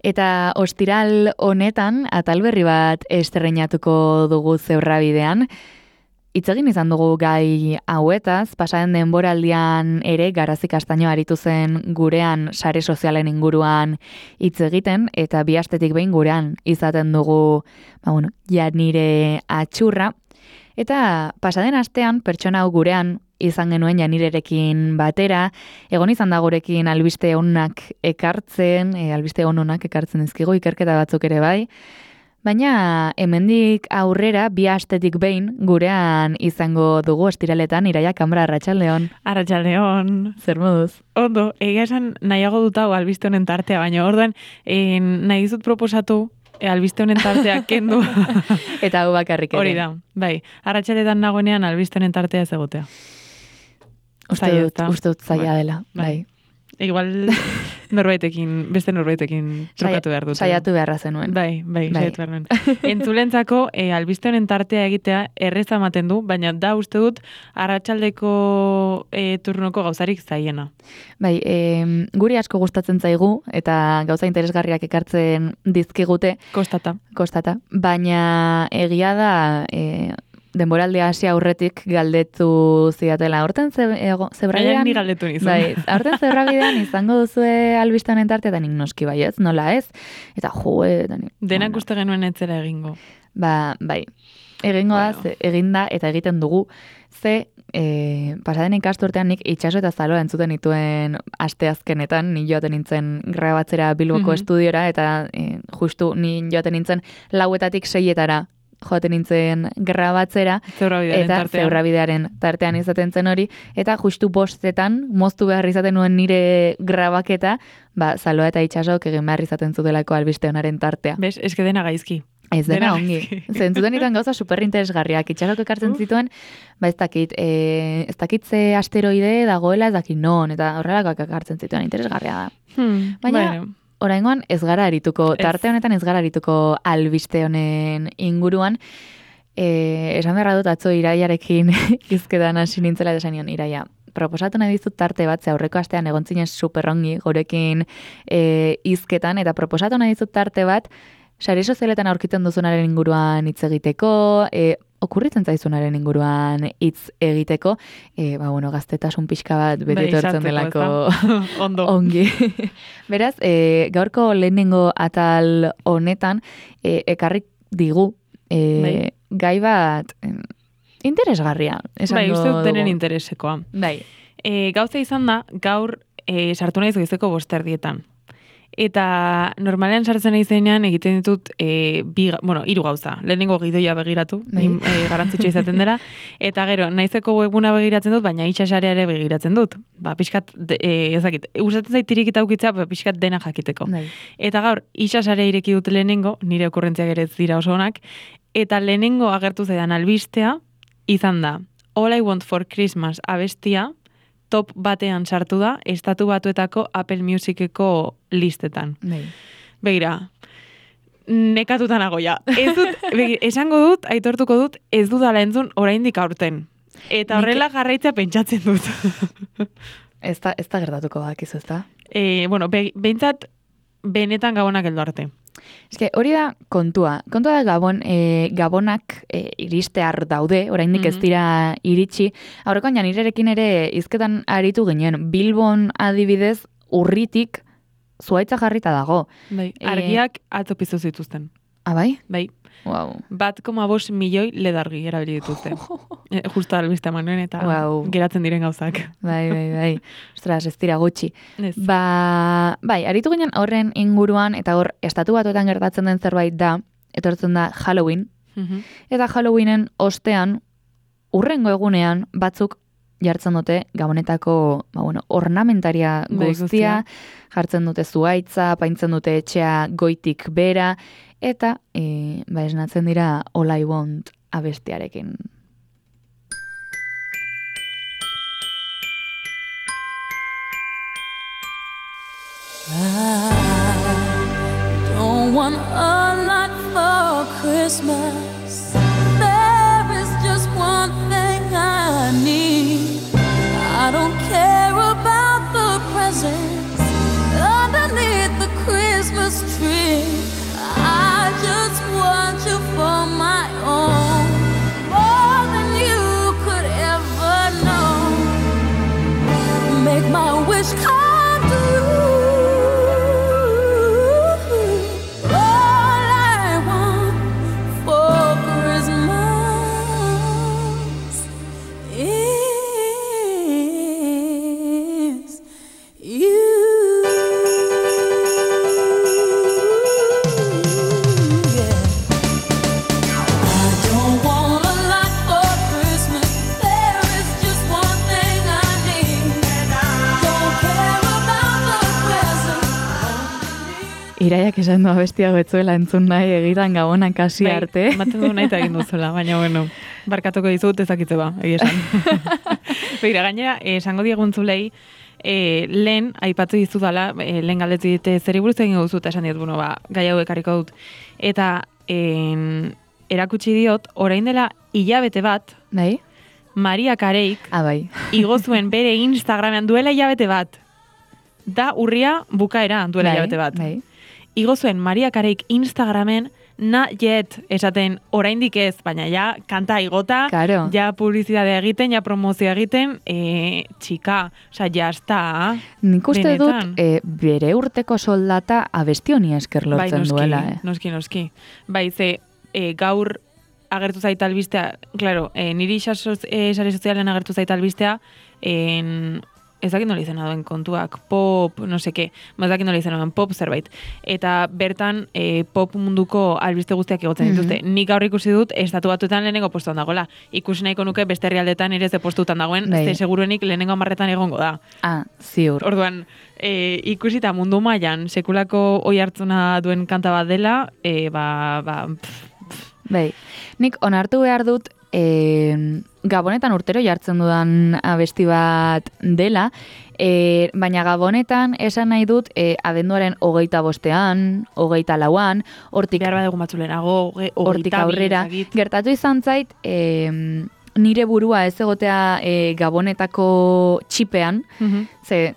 Eta ostiral honetan, atal berri bat estreinatuko dugu Zebrabbidean. Hitz egin izan dugu gai hauetaz, pasaren denboraldian ere Garazi Castaño aritu zen gurean sare sozialen inguruan hitz egiten, eta bi astetik behin gurean izaten dugu, Janire Atxurra. Eta pasaden astean pertsona hau gurean izan genuen Janirerekin batera, egon izan da gurekin albiste onak ekartzen, albiste onak ekartzen dizkigu, ikerketa batzuk ere bai. Baina hemendik aurrera bi astetik behin gurean izango dugu ostiraletan Iraia Kambra, arratsaldeon. Arratsaldeon. Zer moduz? Ondo, egia esan nahiago dut hau albiste honen tartea, baina orduan nahi dizut proposatu albiste honen tartea kendu. Eta hau bakarrik ere. Hori da, bai. Arratsaletan nagoenean albiste honen tartea ez egotea. Uste dut zaila dela, bai. Igual beste norbaitekin trukatu behar dut. Saiatu beharra zenuen. Bai, saiatu behar nuen. Entzulentzako albiste honen tartea egitea erreza ematen du, baina da uste dut arratsaldeko turnoko gauzarik zaiena. Bai, guri asko gustatzen zaigu eta gauza interesgarriak ekartzen dizkigute. Kostata. Baina egia da denboraldia hasi aurretik galdetu zidatela. Aurten Zebrabbidean... Ni galdetu nizun. Bai, aurten Zebrabbidean izango duzue albiste honen tartea, eta nik noski bai ez, nola ez? Eta denak uste genuen etzera egingo. Bai, egingo da, eginda eta egiten dugu. Pasaden ikasturtean nik itxaso eta zaloa entzuten nituen asteazkenetan, ni joaten nintzen grabatzera Bilboko estudiora, eta justu ni joaten nintzen 4:00 6:00 joaten nintzen grabatzera, eta Zebrabbidearen tartean izaten zen hori, eta justu 5:00 moztu behar izaten nuen nire grabaketa, zaloa eta itxasok egin behar izaten zutelako albiste honaren tartea. Bez, eske dena gaizki. Ez dena ongi. Zentzuten iten gauza superinteresgarriak. Itxasok ekartzen zituen, ez dakit ze asteroide dagoela, ez dakit non, eta horrelakoak ekartzen zituen, interesgarria da. Baina... Oraingoan ez gara arituko, tarte honetan ez gara arituko albiste honen inguruan. Esan beharra dut atzo Iraiarekin izketan hasi nintzela eta esan nion, Iraia, proposatu nahi dizut tarte bat, ze aurreko astean egon zinen superongi gurekin izketan, eta proposatu nahi dizut tarte bat, sare sozialetan aurkitzen duzunaren inguruan hitz egiteko, okurritzen zaizunaren inguruan hitz egiteko, gaztetasun pixka bat beti etortzen delako ongi. Beraz, gaurko lehenengo atal honetan ekarrik digu gai bat interesgarria. Bai, uste dut denen interesekoa. Bai. Gauza izan da, gaur sartu nahi goizeko 5:00. Eta normalean sartzen izenean egiten ditut 3 gauza. Lehenengo gidoia begiratu, garrantzitsua izaten dela, eta gero naizeko webguna begiratzen dut, baina itxasarea ere begiratzen dut. Pixkat, usatzen zait tirikita ukitzea, pixkat dena jakiteko. Eta gaur, itxasarea ireki dut lehenengo, nire okurrentziak ere ez dira oso onak, eta lehenengo agertu zaidan albistea, izan da, All I Want for Christmas abestia, top batean sartu da, Estatu Batuetako Apple Musiceko listetan. Begira, nekatuta nago ja. Esango dut, aitortuko dut, ez dudala entzun oraindik aurten. Eta horrela jarraitza pentsatzen dut. Ez da gertatuko bakizu, ez da? Behintzat, benetan Gabonak heldu arte. Eske, hori da kontua. Kontua da Gabonak iristear daude, oraindik ez dira iritsi. Aurrekoan Janirerekin ere izketan aritu ginen. Bilbon adibidez urritik zuhaitza jarrita dago. Bai, argiak atzo piztu zituzten. Bai? Bai. Wow. 1,5 milioi ledargi erabili dituzte. Justo albiste manuen eta geratzen diren gauzak. Bai. Ostras, ez dira gutxi. Bai, aritu ginen horren inguruan, eta hor, Estatu Batuetan gertatzen den zerbait da, etortzen da Halloween, eta Halloweenen ostean, urrengo egunean, batzuk jartzen dute Gabonetako ornamentaria guztia, jartzen dute zuhaitza, paintzen dute etxea goitik bera, eta esnatzen dira All I Want abestiarekin. I don't want a lot for Christmas. There is just one thing I need. I don't care about the presents underneath the Christmas tree. Iraiak esan du abestiago etzuela entzun nahi egiran gabonak kasi arte. Ematen du nahi eta egin duzuela, baina bueno, barkatuko dizut ezakitze ba, egia esan. Begira, gainera, esango dieguntzulei, lehen, aipatu dizudala, lehen galdetu dite zeri buruz egin duzu, eta esan diot, bueno, ba, gai hau ekarriko dut. Eta erakutsi diot, orain dela hilabete bat, Bai? Maria Kareik, Bai. igo zuen bere Instagramean duela hilabete bat. Da urria bukaera duela hilabete bat. Bai. Igo zuen Maria Kareik Instagramen not yet esaten oraindik ez, baina ja kanta igota, Claro. ja publizidadea egiten, ja promozioa egiten, txika, osea, ja está. Nik uste Benetan. dut bere urteko soldata abesti honi esker Bai, lortzen duela. noski. Bai, ze gaur agertu zait albistea, claro, niri sare sozialen agertu zait albistea, ez dakit nola izena duen kontuak, pop, no seke, ez dakit nola izena duen pop zerbait. Eta bertan pop munduko albiste guztiak egotzen dituzte. Nik gaur ikusi dut, estatu batuetan lehenengo postuan dagoela. Ikusi nahiko nuke beste herrialdetan ere ze postuetan dagoen, Bai. ze seguruenik lehenengo 10etan egongo da. Ziur. Orduan, ikusita mundu mailan sekulako oi hartzuna duen kanta bat dela, Bai, nik onartu behar dut Gabonetan urtero jartzen dudan abesti bat dela, baina Gabonetan esan nahi dut abenduaren 25ean, 24ean, hortik behar badugu batzulenago, hortik aurrera, gertatu izan zait, nire burua ez egotea Gabonetako txipean, ze,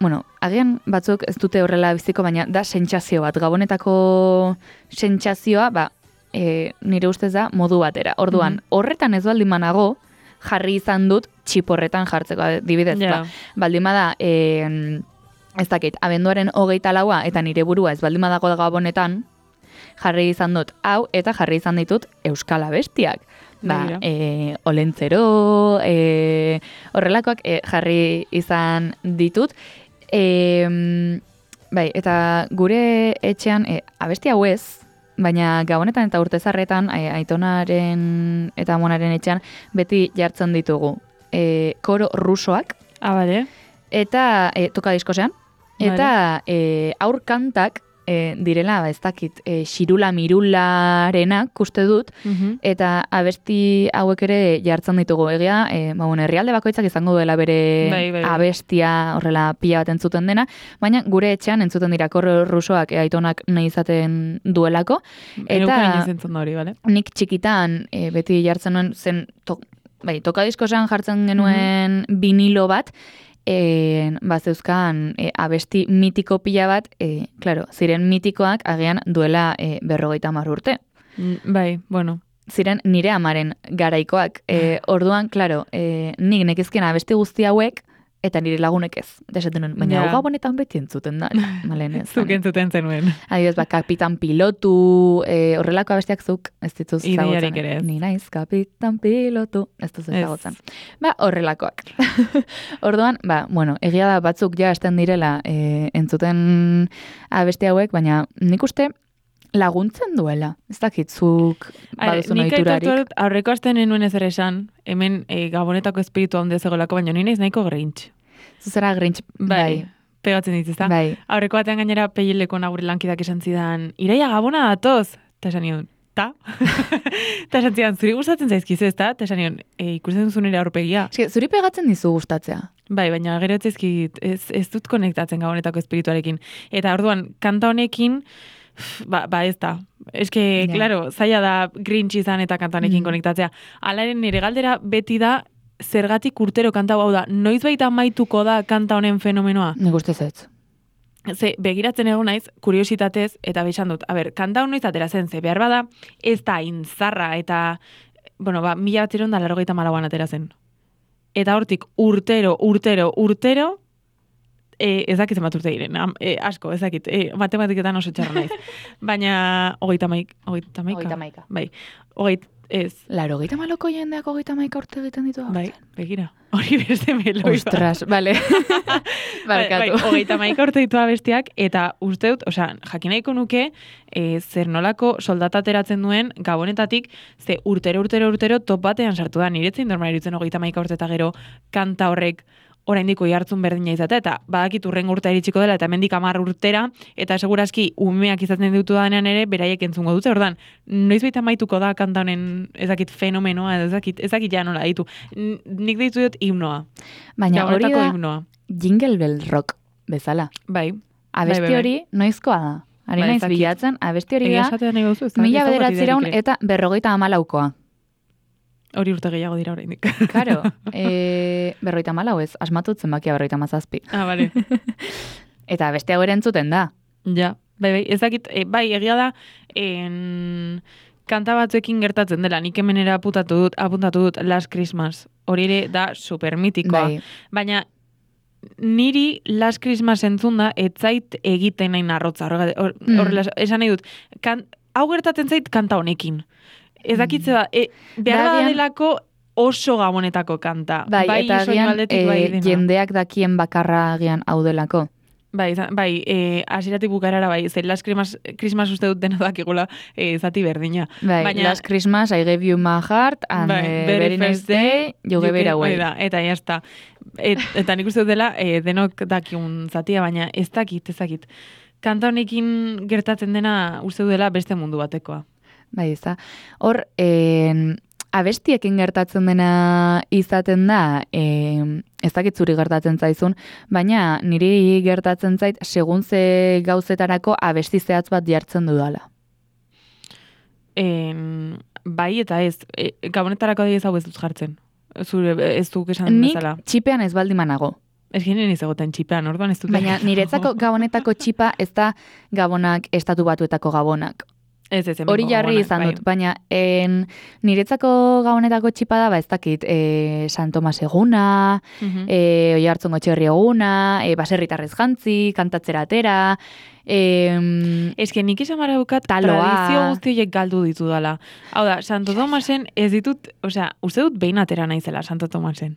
bueno, agian batzuk ez dute horrela biziko, baina da sentsazio bat, Gabonetako sentsazioa, nire ustez da modu batera. Orduan, horretan ez baldin manago, jarri izan dut txiporretan jartzeko, adibidez. Baldin bada, ez dakit, abenduaren 24 eta nire burua ez baldin badago Gabonetan, jarri izan dut hau, eta jarri izan ditut euskal abestiak. Olentzero, horrelakoak jarri izan ditut. Eta gure etxean, abesti hau ez, baina Gabonetan eta urtezarretan, aitonaren eta amonaren etxean, beti jartzen ditugu. Koro rusoak, eta tokadiskosean, eta aur kantak direla, ez dakit, xirula mirularenak uste dut, eta abesti hauek ere jartzen ditugu. Egia, herrialde bakoitzak izango duela bere abestia horrela pila bat entzuten dena, baina gure etxean entzuten dira koro rusoak aitonak nahi izaten duelako. Eta nik txikitan beti jartzen nuen zen, tokadiskosean jartzen genuen vinilo bat, zeuzkan abesti mitiko pila bat, ziren mitikoak agian duela 50 urte. Ziren nire amaren garaikoak. Orduan, nik nekizkien abesti guzti hauek, eta nire lagunek ez. Desaten nuen, baina Gabonetan beti entzuten da. Zuk entzuten zenuen. Adibidez, Kapitan Pilotu, horrelako abestiak zuk, ez dituz Ideiarik ere ez. Ni naiz, Kapitan Pilotu, ez duz ezagutzen. Horrelakoak. Orduan, egia da batzuk ja esten direla entzuten abesti hauek, baina nik uste laguntzen duela. Ez dakitzuk baduzun ohiturarik. Nik aurreko asten enuen ezer esan, hemen Gabonetako espiritu handi zegoelako, baina ni naiz nahiko Grinch. Zuzera Grinch, bai. Pegatzen dituz, ezta? Bai. Aurreko batean gainera Peileko nagure lankidak esan zidan, Iraia Gabona datoz! Eta esan nion, ta? Eta esan zidan, zuri gustatzen zaizkizu, ezta? Eta esan nion, ikusten duzu nire aurpegia. Zuri pegatzen dizu gustatzea. Bai, baina gero ez dut konektatzen Gabonetako espirituarekin. Eta orduan, kanta honekin, ez da. Eske, claro, zaila da Grinch izan eta kantanekin konektatzea. Alaren nire galdera beti da, zergatik urtero kanta hau da, noiz baita amaituko da kanta honen fenomenoa? Nik uste ez. Ze, begiratzen egon naiz, kuriositatez, eta besan dut, kanta hau noiz atera zen, ze behar bada, ez da inzarra, eta, 1984an atera zen. Eta hortik urtero, ez dakit zenbat urte diren, asko, ez dakit, matematiketan oso txarra naiz. Baina, 30. Bai, ez. 80ko jendeak 30 urte egiten ditu. Bai, begira, hori beste meloi. Ostras, bale. Barkatu. 30 urte ditu abestiak, eta uste dut, jakin nahiko nuke, zer nolako soldata ateratzen duen Gabonetatik, ze urtero top batean sartu da, niretzen normala irutzen 30 urte eta gero kanta horrek oraindik oihartzun berdina izatea, eta badakit urrengo urtea iritsiko dela, eta hemendik 10 urtera, eta segurazki umeak izaten ditu danean ere, beraiek entzungo dute, ordan, noizbait amaituko da kanta honen ezakit fenomenoa, ezakit ja nola ditu. Nik deitu dut himnoa. Baina hori da himnoa. Jingle Bell Rock bezala. Bai. Abesti hori noizkoa da. Ari naiz bilatzen, abesti hori da, 1900 eta 54koa. Hori urte gehiago dira oraindik. Claro, 54 ez, asmatut zenbakia 57. Bale. Eta abesti hau ere entzuten da. Ja, bai, ezakit, bai, egia da, kanta batzuekin gertatzen dela, nik hemenera apuntatu dut Last Christmas. Hori ere da supermitikoa. Bai. Baina, niri Last Christmas entzunda, etzait egiten nahi narrotza. Horrela, esan nahi dut, hau gertatzen zait kanta honekin. Ezakitze da, behar da delako oso gabonetako kanta. Bai, eta agian jendeak dakien bakarra agian hau delako. Bai, hasieratik bukaerara bai, ze Last Christmas uste dut dena dakigula zati berdina. Bai, baina, Last Christmas, I gave you my heart, and very next day, you gave it away. Eta jazta. Eta nik uste dut dela, denok dakiun zatia, baina ez dakit. Kanta honekin gertatzen dena uste dut dela beste mundu batekoa. Bai, ez da. Hor, abestiekin gertatzen dena izaten da, ez dakit zuri gertatzen zaizun, baina niri gertatzen zait segun ze gauzetarako abesti zehatz bat jartzen dudala. Bai eta ez, gabonetarako ez hau ez dut jartzen. Zure ez duk esan bezala. Nik txipean ez baldin manago. Ez ginen ez egoten txipean, orduan ez dut. Baina niretzako gabonetako txipa ez da gabonak estatu batuetako gabonak. Hori jarri izan dut, baina niretzako gabonetako txipa da, ez dakit, San Tomas eguna, Oiartzungo Txerri eguna, baserritarrez jantzi, kantatzera atera, nik esan mara dukat tradizio guztiek galdu ditu dala. Hau da, Santo Tomasen ez ditut, uste dut behin atera naizela Santo Tomasen.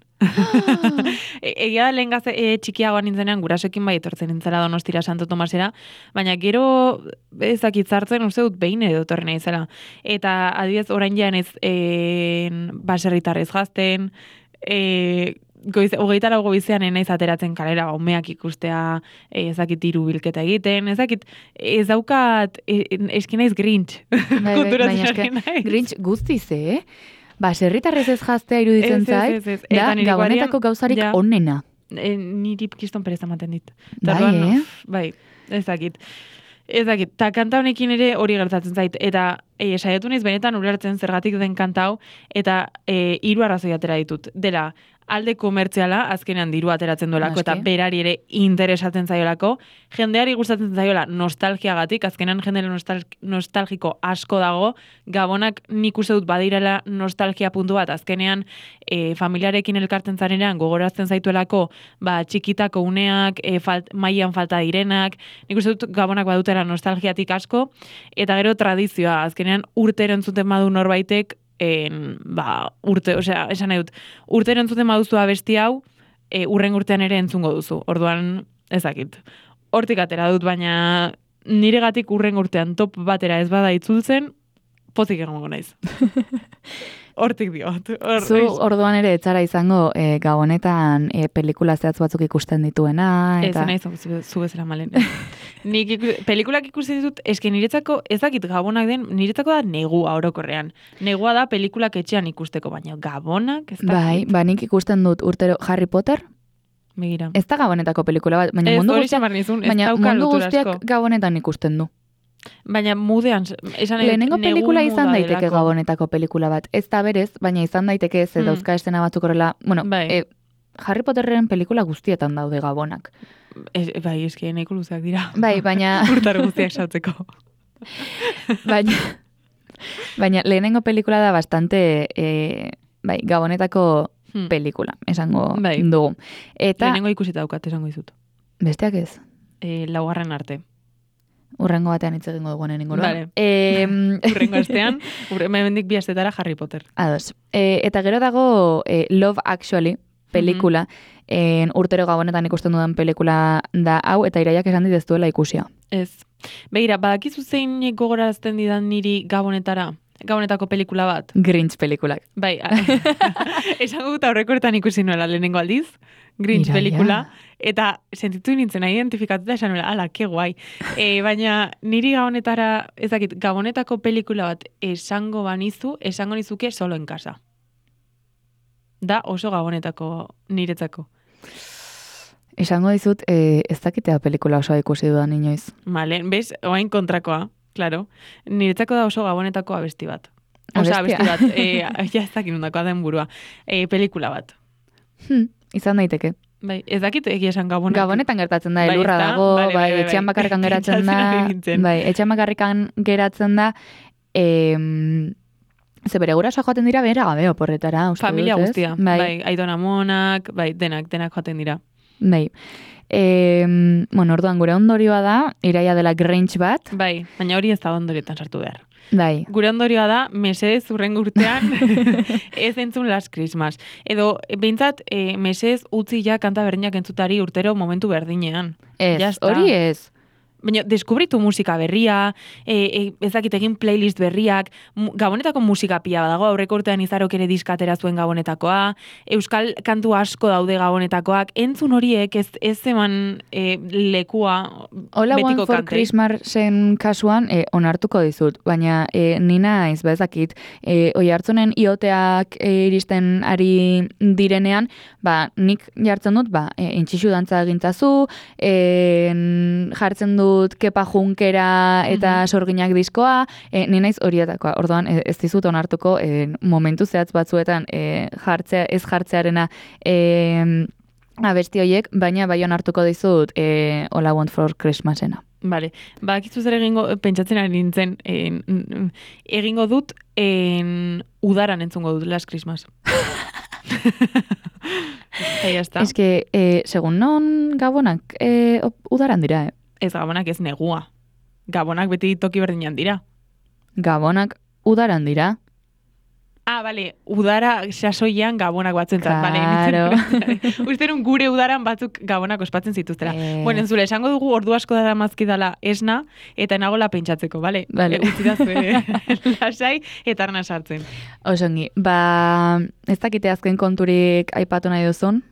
Egia da lehen gazte txikiagoan nintzenean gurasoekin bai etortzen nintzela Donostira Santo Tomasera, baina gero ezakitzartzen uste dut behin edo etorri naizela. Eta adibidez orain jean ez baserritarrez gazten, 24 goizean naiz ateratzen kalera umeak ikustea, ezakit hiru bilketa egiten, ez daukat eski naiz Grinch. Baina Grinch guztiz, baserritarrez ez jaztea iruditzen zait, da gabonetako gauzarik onena. Niri kiston pereza ematen dit. Bai, ezakit. Ta kanta honekin ere hori gertatzen zait. Eta saiatu naiz benetan ulertzen zergatik den kanta hau, eta 3 arrazoi atera ditut. Dela, alde komertziala, azkenean diru ateratzen duelako, eta berari ere interesatzen zaiolako, jendeari gustatzen zaiola nostalgiagatik, azkenean jende nostalgiko asko dago, gabonak nik uste dut badirela nostalgia puntu bat, azkenean familiarekin elkartzen zarenean gogorazten zaituelako, txikitako uneak, mailan falta direnak, nik uste dut gabonak badutela nostalgiatik asko, eta gero tradizioa, azkenean urtero entzuten badu norbaitek, esan nahi dut, urtero entzuten baduzu abesti hau, urren urtean ere entzungo duzu. Orduan, ezakit. Hortik atera dut, baina niregatik urren urtean top batera ez bada itzultzen, pozik egongo naiz. Hortik diot. Zu orduan ere etzara izango gabonetan pelikula zehatz batzuk ikusten dituena. Ez nahi zu bezala malen. Nik pelikulak ikusten ditut, eske niretzako ez dakit gabonak den, niretzako da negua orokorrean. Negua da pelikulak etxean ikusteko, baina gabonak ez dakit. Bai, nik ikusten dut urtero Harry Potter. Begira. Ez da gabonetako pelikula bat, baina mundu guztiak gabonetan ikusten du. Baina mudean, lehenengo pelikula izan daiteke gabonetako pelikula bat. Ez da berez, baina izan daiteke ez dauzka estena batzuk horrela. Bueno, Harry Potterren pelikula guztietan daude gabonak. Bai, eski nahiko luzeak dira. Bai, baina urtaro guztiak sautzeko. Baina lehenengo pelikula da bastante gabonetako pelikula, esango dugu. Lehenengo ikusita daukat, esango dizut. Besteak ez? 4. arte. Urrengo batean hitz egingo dugu nenengo. Vale. Urrengo astean, hemendik 2 astetara Harry Potter. Ados. Eta gero dago Love Actually pelikula, urtero gabonetan ikusten dudan pelikula da hau, eta Iraiak esan dit ez duela ikusia. Ez. Begira, badakizu zein gogorazten didan niri gabonetako pelikula bat? Grinch pelikulak. Bai, esan dut aurrekoetan ikusi nuela lehenengo aldiz, Grinch Iraia. pelikula, eta sentitu nintzen identifikatuta esan nola, ala, ke guai. Baina niri gabonetara, ezakit, gabonetako pelikula bat esango nizuke solo en casa. Da oso gabonetako niretzako. Esango dizut, ez dakitea pelikula osoa ikusi dudan inoiz. Vale, bez, oain kontrakoa, claro. Niretzako da oso gabonetako abesti bat. Osa, abesti bat, ja ez dakit nundakoa den burua. Pelikula bat. Izan daiteke. Bai, ez dakit egia esan gabonak. Gabonetan gertatzen da, elurra dago, bai, etxean bakarrikan geratzen da, bai, etxean bakarrikan geratzen da, ze bere gurasoak joaten dira bera gabe oporretara, uste dut, familia ez? guztia, bai, aitona monak, bai, denak joaten dira. Bai. Bueno, orduan gure ondorioa da, Iraia dela Grinch bat. Bai, baina hori ez da ondorietan sartu behar. Bai. Gure ondorioa da, mesedez urrengo urtean ez entzun Last Christmas. Edo, behintzat, mesedez utzi ja kanta berdinak entzutari urtero momentu berdinean. Ez, hori ez. Baina, deskubritu musika berria, ezakit egin playlist berriak, gabonetako musika pila badago, aurreko urtean Izarok ere diskatera zuen gabonetakoa, euskal kantu asko daude gabonetakoak, entzun horiek ez eman lekua Hola betiko One for kantei. Christmasen kasuan onartuko dizut, baina nina ez bezakit, oi hartzunen ioteak iristen ari direnean, nik jartzen dut, intxixu dantza egintzazu, jartzen dut Kepa Junkera eta Sorginak diskoa, ni naiz horietakoa. Orduan ez dizut onartuko momentu zehatz batzuetan ez jartzearena abesti horiek, baina bai onartuko dizut All I Want for Christmasena. Bale, bakizu zer pentsatzen ari nintzen, egingo dut, udaran entzungo dut Last Christmas. Ez que, segun non gabonak udaran dira, Ez gabonak ez negua. Gabonak beti toki berdinan dira. Gabonak udaran dira. Bale, udara sasoian gabonak batzuentzat. Claro. Usterun gure udaran batzuk gabonak ospatzen zituztera. Bueno, entzule, esango dugu ordu asko dara mazkidala esna, eta nagola pentsatzeko, bale? Utzidazue lasai eta arna sartzen. Osongi, ez dakite azken konturik aipatu nahi duzun?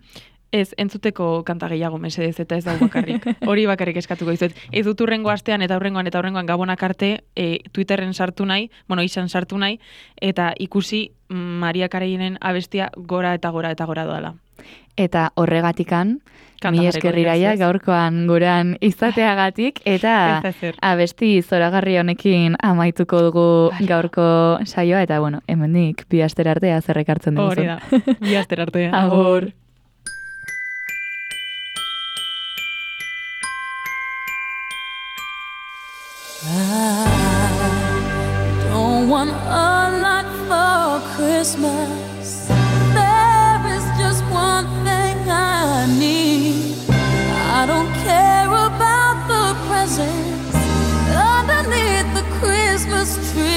Ez, entzuteko kanta gehiago mesedez eta ez dago bakarrik. Hori bakarrik eskatuko dizuet. Ez dut urrengo astean eta urrengoan gabonak arte Twitterren sartu nahi, izan sartu nahi, eta ikusi Maria Kareinen abestia gora eta gora eta gora doala. Eta horregatikan, mi esker Iraia gaurkoan gurean izateagatik, eta abesti zoragarri honekin amaituko dugu gaurko saioa, eta bueno, hemendik bi astera arte zerrek hartzen dugu. Hori da, bi astera arte. Agur. I don't want a lot for Christmas. There is just one thing I need. I don't care about the presents underneath the Christmas tree.